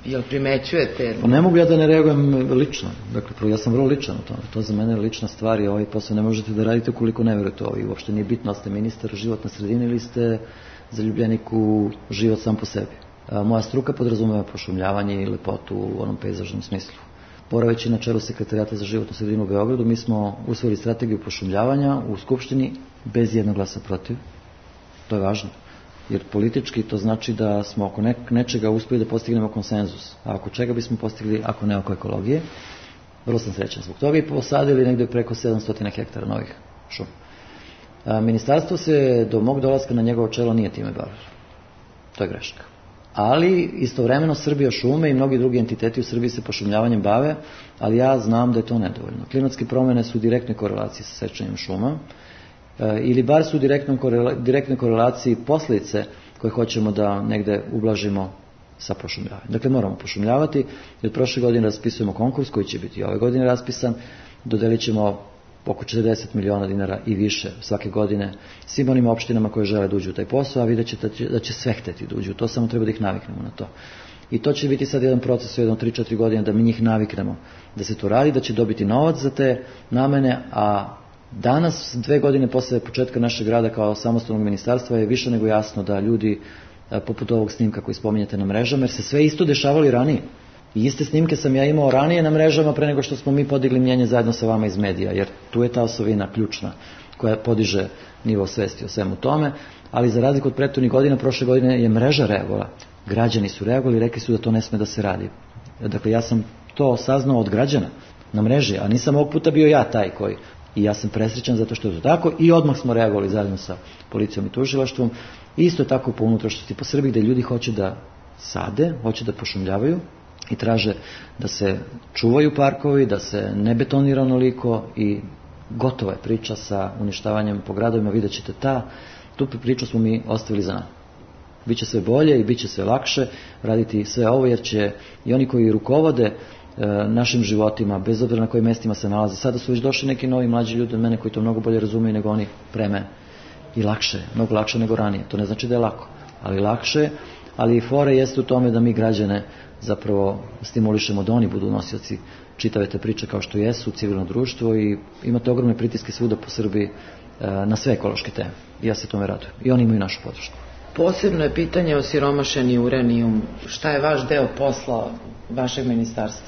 jel primećujete? Pa ne mogu ja da ne reagujem lično. Dakle, ja sam vrlo ličan u tome. To za mene je lična stvar i ovaj posao ne možete da radite ukoliko ne verujete ovo. I uopšte nije bitno, ste ministar životne sredine ili ste zaljubljenik u život sam po sebi. A moja struka podrazumeva pošumljavanje i lepotu u onom pejzažnom smislu. Boraveći na čelu Sekretarijata za životnu sredinu u Beogradu, mi smo usvojili strategiju pošumljavanja u Skupštini bez jednog glasa protiv. To je važno. Jer politički to znači da smo oko nečega uspjeli da postignemo konsenzus. A oko čega bismo postigli ako ne oko ekologije? Vrlo sam srećan zbog toga i posadili negdje preko sedamsto hektara novih šuma. A, ministarstvo se do mog dolaska na njegovo čelo nije time bavilo. To je greška. Ali istovremeno Srbija šume i mnogi drugi entiteti u Srbiji se pošumljavanjem bave, ali ja znam da je to nedovoljno. Klimatske promjene su u direktnoj korelaciji sa sečenjem šuma, ili bar su u direktnoj korelaciji posljedice koje hoćemo da negde ublažimo sa pošumljavanjem. Dakle, moramo pošumljavati i od prošle godine raspisujemo konkurs koji će biti i ove godine raspisan. Dodelit ćemo oko četrdeset miliona dinara i više svake godine svim onim opštinama koje žele da uđu u taj posao, a vidjet ćete da će, da će sve hteti da uđu. To samo treba da ih naviknemo na to. I to će biti sad jedan proces u jednom tri četiri godine da mi njih naviknemo da se to radi, da će dobiti novac za te namene, a danas, dve godine posle početka našeg rada kao samostalnog ministarstva, je više nego jasno da ljudi poput ovog snimka koji spominjete na mrežama, jer se sve isto dešavalo i ranije. I iste snimke sam ja imao ranije na mrežama pre nego što smo mi podigli mnjenje zajedno sa vama iz medija, jer tu je ta osovina ključna koja podiže nivo svesti o svemu tome, ali za razliku od prethodnih godina, prošle godine je mreža reagovala. Građani su reagovali i rekli su da to ne sme da se radi. Dakle, ja sam to saznao od građana na mreži, a nisam ovog puta bio ja taj koji. I ja sam presrećan zato što je to tako i odmah smo reagovali zajedno sa policijom i tužilaštvom. Isto tako po unutrašnjosti po Srbiji gde ljudi hoće da sade, hoće da pošumljavaju i traže da se čuvaju parkovi, da se ne betonira onoliko i gotova je priča sa uništavanjem po gradovima. Vidjet ćete ta, tu priču smo mi ostavili za nama. Biće sve bolje i bit će sve lakše raditi sve ovo jer će i oni koji rukovode našim životima, bez obzira na kojim mestima se nalaze. Sada su već došli neki novi mlađi ljudi od mene koji to mnogo bolje razumiju nego oni pre mene. I lakše, mnogo lakše nego ranije. To ne znači da je lako, ali lakše, ali i fore jeste u tome da mi građane zapravo stimulišemo da oni budu nosioci čitave te priče kao što jesu, civilno društvo i imate ogromne pritiske svuda po Srbiji na sve ekološke teme. I ja se tome radujem. I oni imaju našu podršku. Posebno je pitanje osiromašeni uranijum. Šta je vaš deo posla vašeg ministarstva?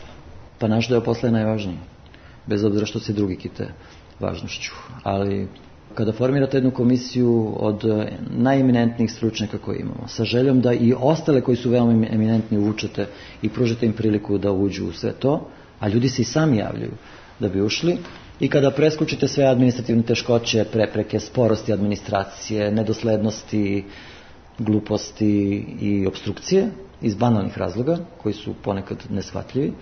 Pa naš deo posla je najvažniji, bez obzira što se drugi kite važnošću. Ali kada formirate jednu komisiju od najeminentnijih stručnjaka koje imamo, sa željom da i ostale koji su veoma eminentni uvučete i pružite im priliku da uđu u sve to, a ljudi se i sami javljaju da bi ušli, i kada preskučite sve administrativne teškoće, prepreke, sporosti administracije, nedoslednosti, gluposti i obstrukcije iz banalnih razloga koji su ponekad neshvatljivi,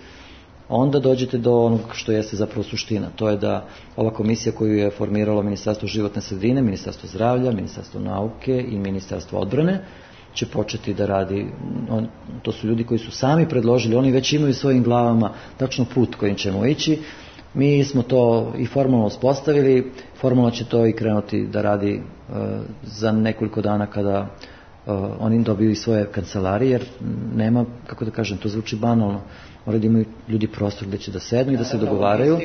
onda dođete do onog što jeste zapravo suština. To je da ova komisija koju je formiralo Ministarstvo životne sredine, Ministarstvo zdravlja, Ministarstvo nauke i Ministarstvo odbrane će početi da radi. On, to su ljudi koji su sami predložili, oni već imaju svojim glavama tačno put kojim ćemo ići. Mi smo to i formalno uspostavili, formalno će to i krenuti da radi uh, za nekoliko dana kada uh, oni dobiju i svoje kancelarije, jer nema, kako da kažem, to zvuči banalno, moraju da imaju ljudi prostor gde će da sednu i da se dogovaraju.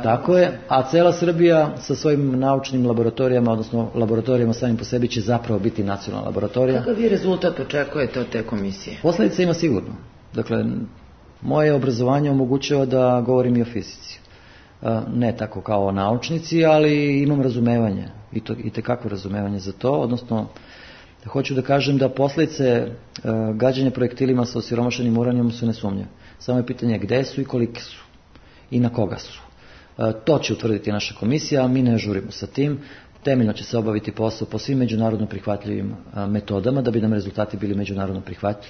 Tako je, a cela Srbija sa svojim naučnim laboratorijama, odnosno laboratorijama samim po sebi će zapravo biti nacionalna laboratorija. Kakav vi rezultat očekujete od te komisije? Posledica ima sigurno. Dakle, moje obrazovanje omogućava da govorim i o fizici. Ne tako kao naučnici, ali imam razumevanje i, to, i tekako razumevanje za to, odnosno hoću da kažem da posljedice gađanja projektilima sa osiromašenim uranijom su nesumnjive. Samo je pitanje gde su i kolike su i na koga su. To će utvrditi naša komisija, a mi ne žurimo sa tim. Temeljno će se obaviti posao po svim međunarodno prihvatljivim metodama da bi nam rezultati bili međunarodno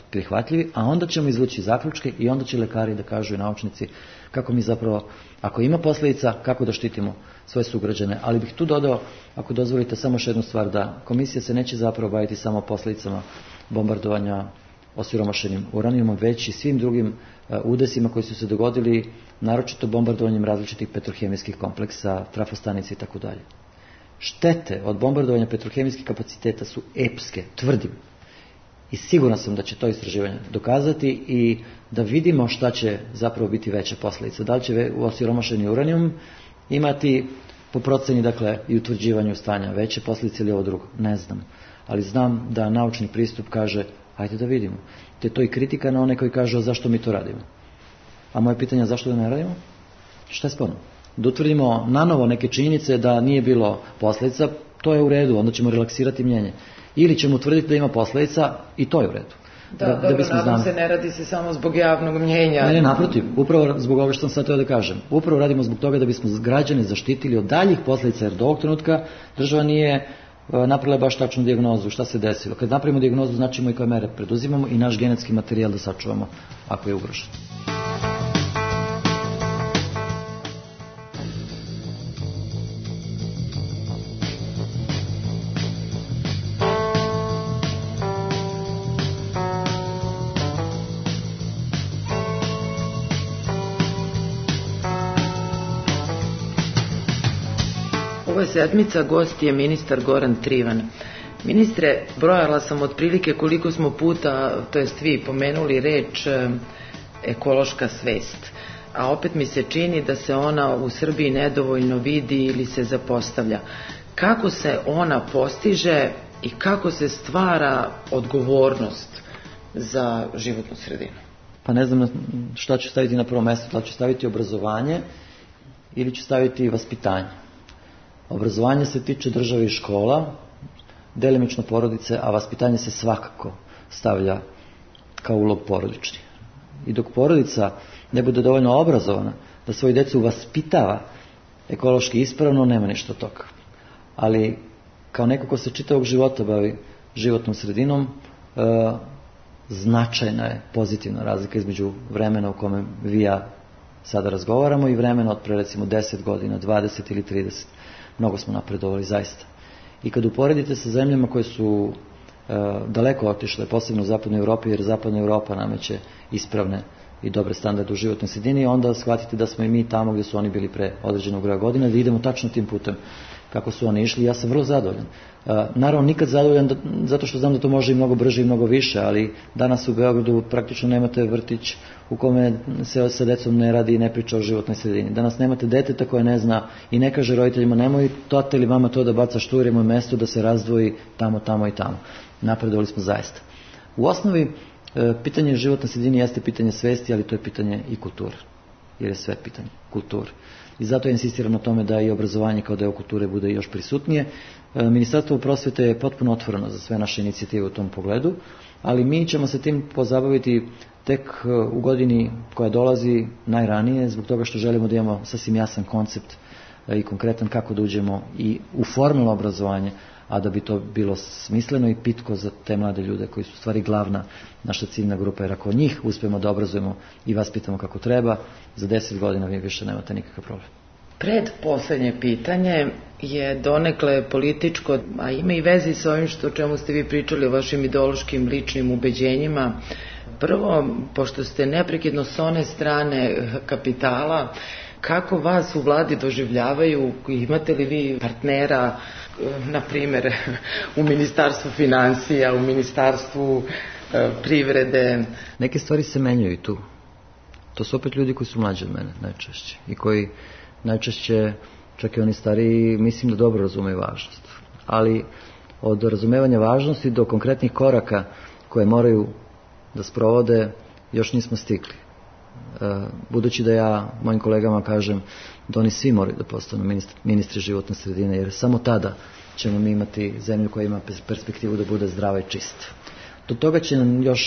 prihvatljivi, a onda ćemo izvući zaključke i onda će lekari da kažu i naučnici kako mi zapravo, ako ima posljedica, kako da štitimo svoje sugrađane. Ali bih tu dodao, ako dozvolite, samo još jednu stvar, da komisija se neće zapravo baviti samo posljedicama bombardovanja osiromašenim uranijumom, već i svim drugim udesima koji su se dogodili, naročito bombardovanjem različitih petrohemijskih kompleksa, trafostanice i tako dalje. Štete od bombardovanja petrohemijskih kapaciteta su epske, tvrdim. I siguran sam da će to istraživanje dokazati i da vidimo šta će zapravo biti veća posljedica. Da li će osiromašeni uranijum imati po proceni, dakle, i utvrđivanju stanja veće posljedice ili ovo drugo? Ne znam. Ali znam da naučni pristup kaže, ajde da vidimo. Te to i kritika na one koji kažu, zašto mi to radimo? A moje pitanje je zašto da ne radimo? Šta je sporno? Da utvrdimo nanovo neke činjenice da nije bilo posljedica, to je u redu, onda ćemo relaksirati mnjenje. Ili ćemo utvrditi da ima posljedica i to je u redu. Da, da, dobro, da nadam se ne radi se samo zbog javnog mnjenja. Ne, ne, naprotiv, upravo zbog ovoga što sam sad teo da kažem. Upravo radimo zbog toga da bismo građane zaštitili od daljih posljedica, jer do ovog trenutka država nije napravila baš tačnu dijagnozu šta se desilo. Kad napravimo dijagnozu, značimo i koje mere preduzimamo i naš genetski materijal da sačuvamo ako je ugrožen. Ovo je sedmica, gost je ministar Goran Trivan. Ministre, brojala sam otprilike koliko smo puta, to jest vi, pomenuli reč ekološka svest. A opet mi se čini da se ona u Srbiji nedovoljno vidi ili se zapostavlja. Kako se ona postiže i kako se stvara odgovornost za životnu sredinu? Pa ne znam šta ću staviti na prvo mjesto, da li ću staviti obrazovanje ili ću staviti vaspitanje. Obrazovanje se tiče države i škola, delimično porodice, a vaspitanje se svakako stavlja kao ulog porodični. I dok porodica ne bude dovoljno obrazovana da svoju decu vaspitava ekološki ispravno, nema ništa od toga. Ali kao neko ko se čitavog života bavi životnom sredinom, e, značajna je pozitivna razlika između vremena u kome vi ja sada razgovaramo i vremena od pre recimo deset godina, dvadeset ili trideset. Mnogo smo napredovali zaista. I kad uporedite sa zemljama koje su e, daleko otišle, posebno u zapadnoj Europi, jer zapadna Europa nameće ispravne i dobre standarde u životnoj sredini, onda shvatite da smo i mi tamo gdje su oni bili pre određenog broja godina, da idemo tačno tim putem kako su oni išli. Ja sam vrlo zadovoljan. E, naravno, nikad zadovoljan da, zato što znam da to može i mnogo brže i mnogo više, ali danas u Beogradu praktično nemate vrtić u kome se sa decom ne radi i ne priča o životnoj sredini. Danas nemate deteta koje ne zna i ne kaže roditeljima nemoj tata ili mama to da baca štur, imoj mesto da se razdvoji tamo, tamo i tamo. Napredovali smo zaista. U osnovi, e, pitanje životne sredine jeste pitanje svesti, ali to je pitanje i kulture. Jer je sve pitanje kulture. I zato ja insistiram na tome da i obrazovanje kao deo kulture bude još prisutnije. E, Ministarstvo prosvete je potpuno otvoreno za sve naše inicijative u tom pogledu, ali mi ćemo se tim pozabaviti tek u godini koja dolazi najranije, zbog toga što želimo da imamo sasvim jasan koncept i konkretan kako da uđemo i u formalno obrazovanje, a da bi to bilo smisleno i pitko za te mlade ljude koji su u stvari glavna naša ciljna grupa, jer ako njih uspijemo da obrazujemo i vaspitamo kako treba, za deset godina vi više nemate nikakav problem. Pred poslednje pitanje je donekle političko, a ima i vezi sa ovim što o čemu ste vi pričali o vašim ideološkim ličnim ubeđenjima. Prvo, pošto ste neprekidno s one strane kapitala, kako vas u vladi doživljavaju, imate li vi partnera, na primjer, u ministarstvu finansija, u ministarstvu e, privrede? Neke stvari se menjaju i tu. To su opet ljudi koji su mlađi od mene najčešće i koji najčešće, čak i oni stariji, mislim da dobro razumeju važnost. Ali od razumevanja važnosti do konkretnih koraka koje moraju da sprovode još nismo stigli. Budući da ja mojim kolegama kažem da oni svi moraju da postanu ministri, ministri životne sredine, jer samo tada ćemo mi imati zemlju koja ima perspektivu da bude zdrava i čista. Do toga će nam još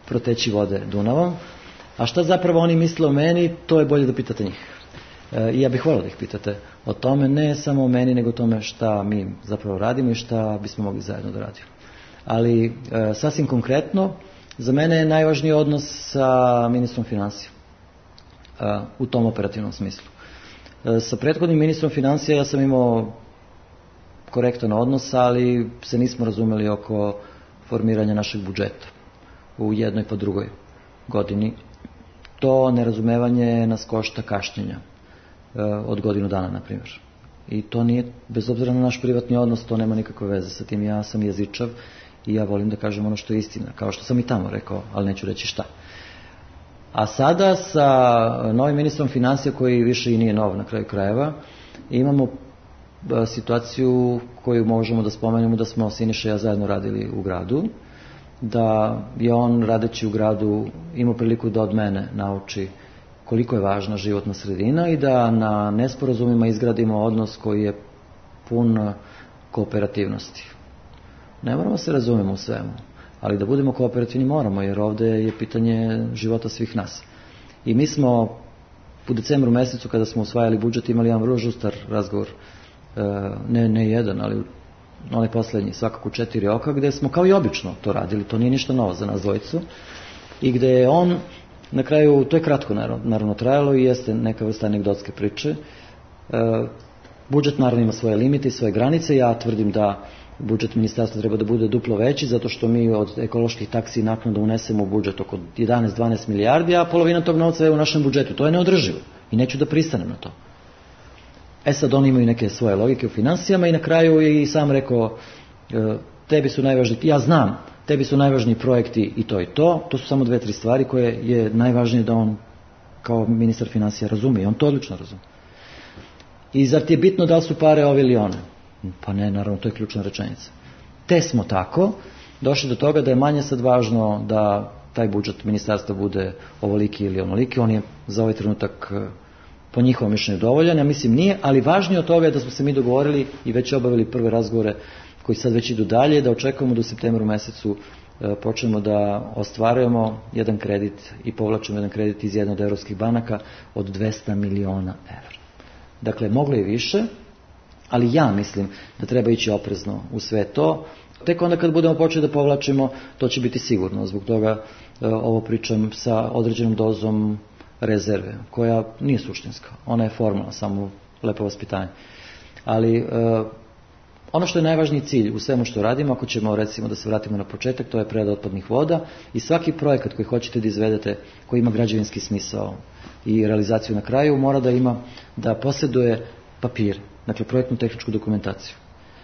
proteći vode Dunavom, a šta zapravo oni misle o meni, to je bolje da pitate njih. I ja bih volio da ih pitate o tome, ne samo o meni, nego o tome šta mi zapravo radimo i šta bismo mogli zajedno da radimo. Ali sasvim konkretno, za mene je najvažniji odnos sa ministrom finansija u tom operativnom smislu. Sa prethodnim ministrom finansija ja sam imao korektan odnos, ali se nismo razumeli oko formiranja našeg budžeta u jednoj pa drugoj godini. To nerazumevanje nas košta kašnjenja od godinu dana, na primjer. I to nije, bez obzira na naš privatni odnos, to nema nikakve veze sa tim. Ja sam jezičav i ja volim da kažem ono što je istina, kao što sam i tamo rekao, ali neću reći šta. A sada sa novim ministrom financija, koji više i nije nov na kraju krajeva, imamo situaciju koju možemo da spomenemo da smo Siniša i ja zajedno radili u gradu, da je on radeći u gradu imao priliku da od mene nauči koliko je važna životna sredina i da na nesporazumima izgradimo odnos koji je pun kooperativnosti. Ne moramo se razumemo u svemu, ali da budemo kooperativni moramo, jer ovde je pitanje života svih nas. I mi smo u decembru mesecu, kada smo usvajali budžet, imali jedan vrlo žustar razgovor, ne, ne jedan, ali onaj poslednji, svakako četiri oka, gde smo kao i obično to radili, to nije ništa novo za nas dvojicu, i gde je on, na kraju, to je kratko naravno trajalo i jeste neka vrsta anegdotske priče, budžet naravno ima svoje limite i svoje granice, ja tvrdim da budžet ministarstva treba da bude duplo veći, zato što mi od ekoloških taksi i naknada unesemo u budžet oko jedanaest do dvanaest milijardi, a polovina tog novca je u našem budžetu. To je neodrživo i neću da pristanem na to. E sad, oni imaju neke svoje logike u finansijama i na kraju je i sam rekao, tebi su najvažniji, ja znam, tebi su najvažniji projekti i to i to, to su samo dve, tri stvari koje je najvažnije da on kao ministar finansija razume i on to odlično razume. I zar ti je bitno da li su pare ove ili one? Pa ne, naravno, to je ključna rečenica. Te smo tako došli do toga da je manje sad važno da taj budžet ministarstva bude ovoliki ili onoliki, on je za ovaj trenutak po njihovom mišljenju dovoljan, ja mislim nije, ali važnije od toga je da smo se mi dogovorili i već obavili prve razgovore koji sad već idu dalje, da očekujemo da u septembru mesecu počnemo da ostvarujemo jedan kredit i povlačimo jedan kredit iz jedne od evropskih banaka od dvesta miliona evra. Dakle, moglo je više, ali ja mislim da treba ići oprezno u sve to. Tek onda kad budemo počeli da povlačimo, to će biti sigurno. Zbog toga ovo pričam sa određenom dozom rezerve, koja nije suštinska. Ona je formalna, samo lepo vaspitanje. Ali ono što je najvažniji cilj u svemu što radimo, ako ćemo recimo da se vratimo na početak, to je prerada otpadnih voda i svaki projekat koji hoćete da izvedete, koji ima građevinski smisao i realizaciju na kraju, mora da ima, da posjeduje papir, dakle projektnu tehničku dokumentaciju.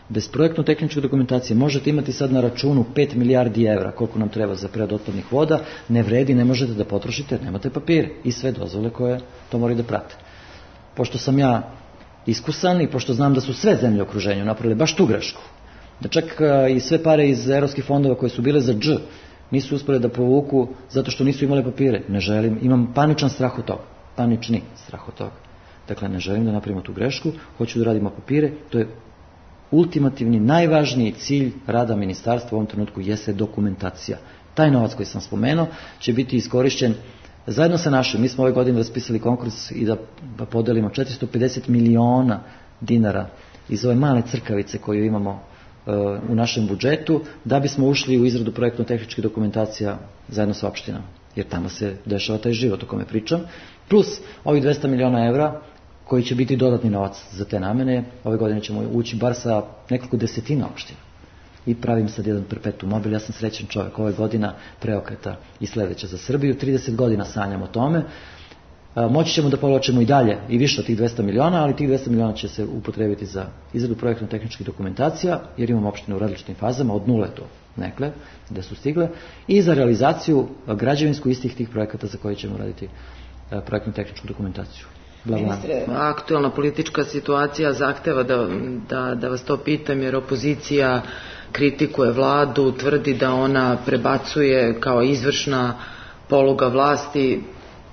Bez projektno tehničke dokumentacije možete imati sad na računu pet milijardi evra, koliko nam treba za preradu otpadnih voda, ne vredi, ne možete da potrošite, nemate papire i sve dozvole koje to moraju da prate. Pošto sam ja iskusan i pošto znam da su sve zemlje u okruženju napravile baš tu grešku, da čak i sve pare iz evropskih fondova koje su bile za dž nisu uspjeli da povuku zato što nisu imali papire. Ne želim, imam paničan strah od toga, panični strah od toga. Dakle, ne želim da napravimo tu grešku, hoću da radimo papire, to je ultimativni, najvažniji cilj rada ministarstva u ovom trenutku jeste dokumentacija. Taj novac koji sam spomenuo će biti iskorišćen zajedno sa našim. Mi smo ove godine raspisali konkurs i da podelimo četiristo pedeset miliona dinara iz ove male crkavice koju imamo uh, u našem budžetu, da bismo ušli u izradu projektno-tehničke dokumentacija zajedno sa opštinama. Jer tamo se dešava taj život o kome pričam. Plus ovih dvesta miliona evra koji će biti dodatni novac za te namene. Ove godine ćemo ući bar sa nekoliko desetina opština. I pravim sad jedan perpetuum mobile. Ja sam srećan čovjek, ove godina preokreta i sledeća za Srbiju. trideset godina sanjam o tome. Moći ćemo da povlačimo i dalje i više od tih dvesta miliona, ali tih dvesta miliona će se upotrebiti za izradu projektno-tehničkih dokumentacija, jer imamo opštine u različitim fazama, od nule do nekle, gde su stigle, i za realizaciju građevinsku istih tih projekata za koje ćemo raditi projektno-tehničku dokumentaciju. Ministre, aktualna politička situacija zahteva da, da, da vas to pitam, jer opozicija kritikuje vladu, tvrdi da ona prebacuje kao izvršna poluga vlasti,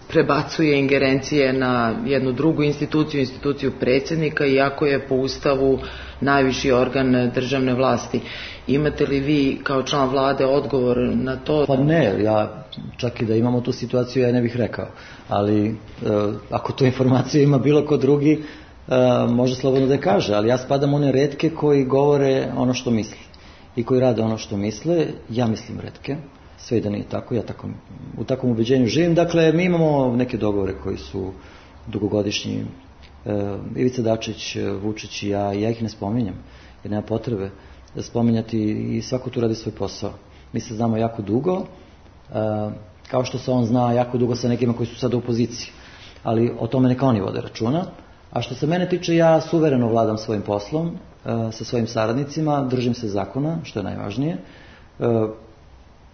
prebacuje ingerencije na jednu drugu instituciju, instituciju predsjednika, iako je po Ustavu najviši organ državne vlasti. Imate li vi kao član vlade odgovor na to? Pa ne, ja čak i da imamo tu situaciju ja ne bih rekao, ali e, ako tu informaciju ima bilo ko drugi, e, može slobodno da je kaže, ali ja spadam one retke koji govore ono što misli i koji rade ono što misle. Ja mislim retke, sve i da nije tako, ja tako, u takvom ubeđenju živim. Dakle, mi imamo neke dogovore koji su dugogodišnji. E, Ivica Dačić, Vučić i ja, i ja ih ne spominjem, jer nema potrebe da spominjati, i svako tu radi svoj posao. Mi se znamo jako dugo, e, kao što se on zna jako dugo sa nekima koji su sada u opoziciji, ali o tome neka oni vode računa. A što se mene tiče, ja suvereno vladam svojim poslom, e, sa svojim saradnicima, držim se zakona, što je najvažnije, e,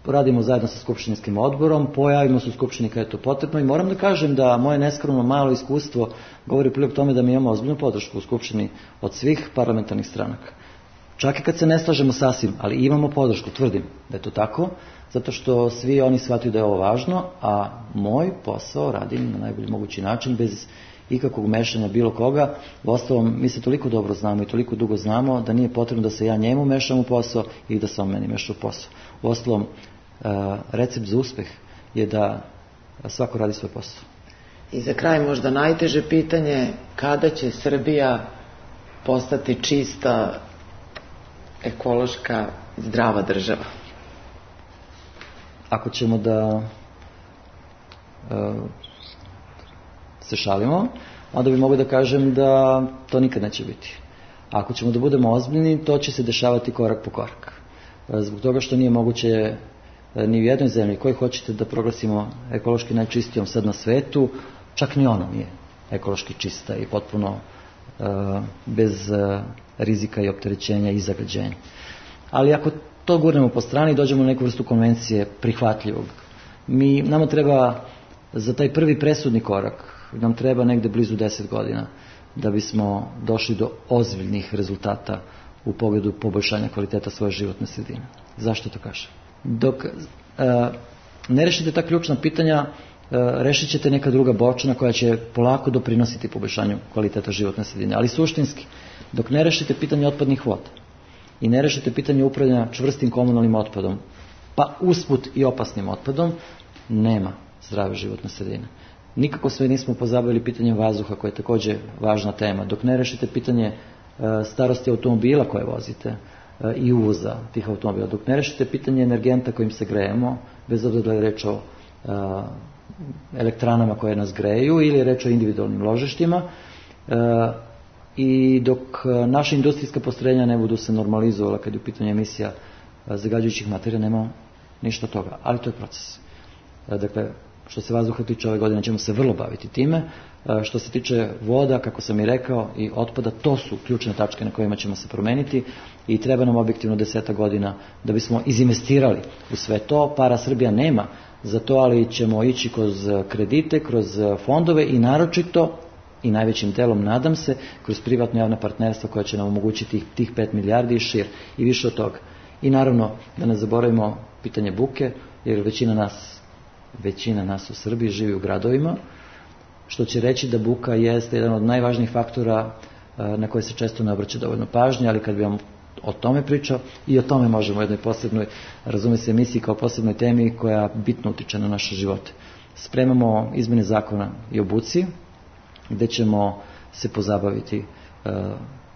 radimo zajedno sa skupštinskim odborom, pojavimo se u skupštini kada je to potrebno, i moram da kažem da moje neskromno malo iskustvo govori prilog tome da mi imamo ozbiljnu podršku u skupštini od svih parlamentarnih stranaka. Čak i kad se ne slažemo sasvim, ali imamo podršku, tvrdim da je to tako, zato što svi oni shvataju da je ovo važno, a moj posao radim na najbolji mogući način, bez ikakvog mešanja bilo koga. Uostalom, mi se toliko dobro znamo i toliko dugo znamo da nije potrebno da se ja njemu mešam u posao i da se on meni meša u posao. Uostalom, recept za uspeh je da svako radi svoj posao. I za kraj možda najteže pitanje, kada će Srbija postati čista, ekološka, zdrava država? Ako ćemo da uh, se šalimo, onda bi mogu da kažem da to nikad neće biti. Ako ćemo da budemo ozbiljni, to će se dešavati korak po korak. Zbog toga što nije moguće ni u jednoj zemlji koji hoćete da proglasimo ekološki najčistijom sad na svetu, čak ni ona nije ekološki čista i potpuno uh, bez uh, rizika i opterećenja i zagađenja. Ali ako to gurnemo po strani, dođemo u neku vrstu konvencije prihvatljivog. Mi, nama treba za taj prvi presudni korak, nam treba negde blizu deset godina da bismo došli do ozbiljnih rezultata u pogledu poboljšanja kvaliteta svoje životne sredine. Zašto to kažem? Dok uh, ne rešite ta ključna pitanja, uh, rešit ćete neka druga bočna koja će polako doprinositi poboljšanju kvaliteta životne sredine. Ali suštinski, dok ne rešite pitanje otpadnih voda i ne rešite pitanje upravljanja čvrstim komunalnim otpadom, pa usput i opasnim otpadom, nema zdrave životne sredine. Nikako sve nismo pozabavili pitanjem vazduha, koje je takođe važna tema. Dok ne rešite pitanje uh, starosti automobila koje vozite, i uvoza tih automobila, dok ne rešite pitanje energenta kojim se grejemo, bez obzira da je reč o a, elektranama koje nas greju ili je reč o individualnim ložištima, a, i dok naša industrijska postrojenja ne budu se normalizovala kad je u pitanju emisija zagađujućih materija, nema ništa toga, ali to je proces. A, dakle, što se vazduha tiče, ove godine ćemo se vrlo baviti time. Što se tiče voda, kako sam i rekao, i otpada, to su ključne tačke na kojima ćemo se promeniti i treba nam objektivno deseta godina da bismo izinvestirali u sve to. Para Srbija nema za to, ali ćemo ići kroz kredite, kroz fondove i naročito i najvećim delom, nadam se, kroz privatno javna partnerstva koja će nam omogućiti tih pet milijardi i šir i više od toga. I naravno da ne zaboravimo pitanje buke, jer većina nas, većina nas u Srbiji živi u gradovima, što će reći da buka jeste jedan od najvažnijih faktora na koje se često ne obraća dovoljno pažnje, ali kad bi vam o tome pričao, i o tome možemo u jednoj posebnoj, razume se, emisiji kao posebnoj temi koja bitno utiče na naše živote. Spremamo izmene zakona i o buci, gde ćemo se pozabaviti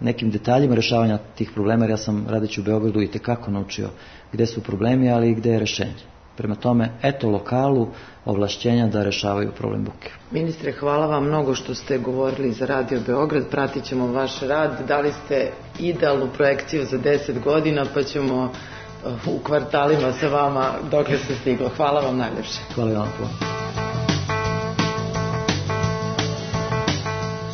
nekim detaljima rešavanja tih problema, jer ja sam radeći u Beogradu i tekako naučio gde su problemi, ali i gde je rešenje. Prema tome, eto lokalu ovlašćenja da rešavaju problem buke. Ministre, hvala vam mnogo što ste govorili za Radio Beograd, pratit ćemo vaš rad, dali ste idealnu projekciju za deset godina, pa ćemo u kvartalima sa vama dokle se stiglo. Hvala vam najljepše. Hvala vam puno.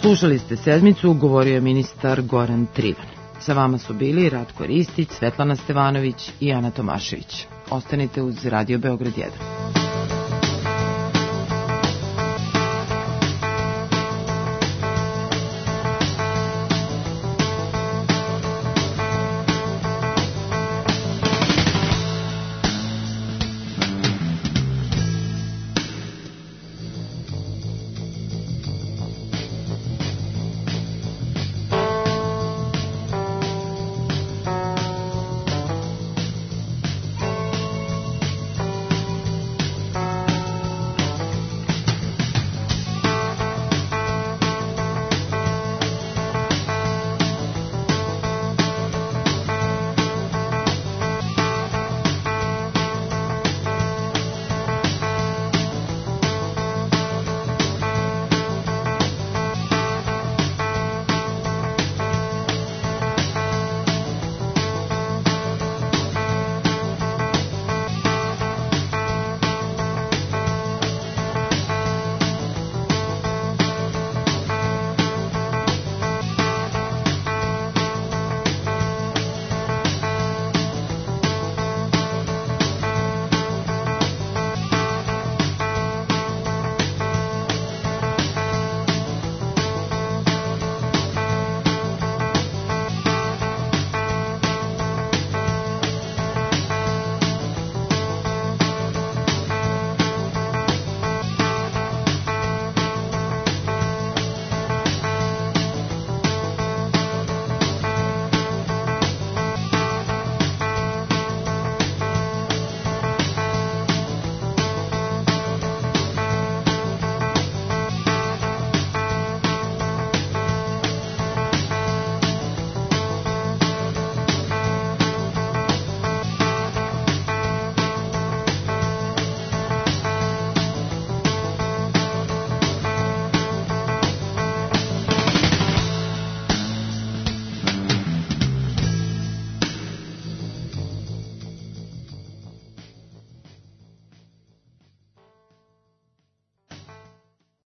Slušali ste sedmicu, govorio je ministar Goran Trivan. Sa vama su bili Ratko Ristić, Svetlana Stevanović i Ana Tomašević. Ostanite uz Radio Beograd jedan.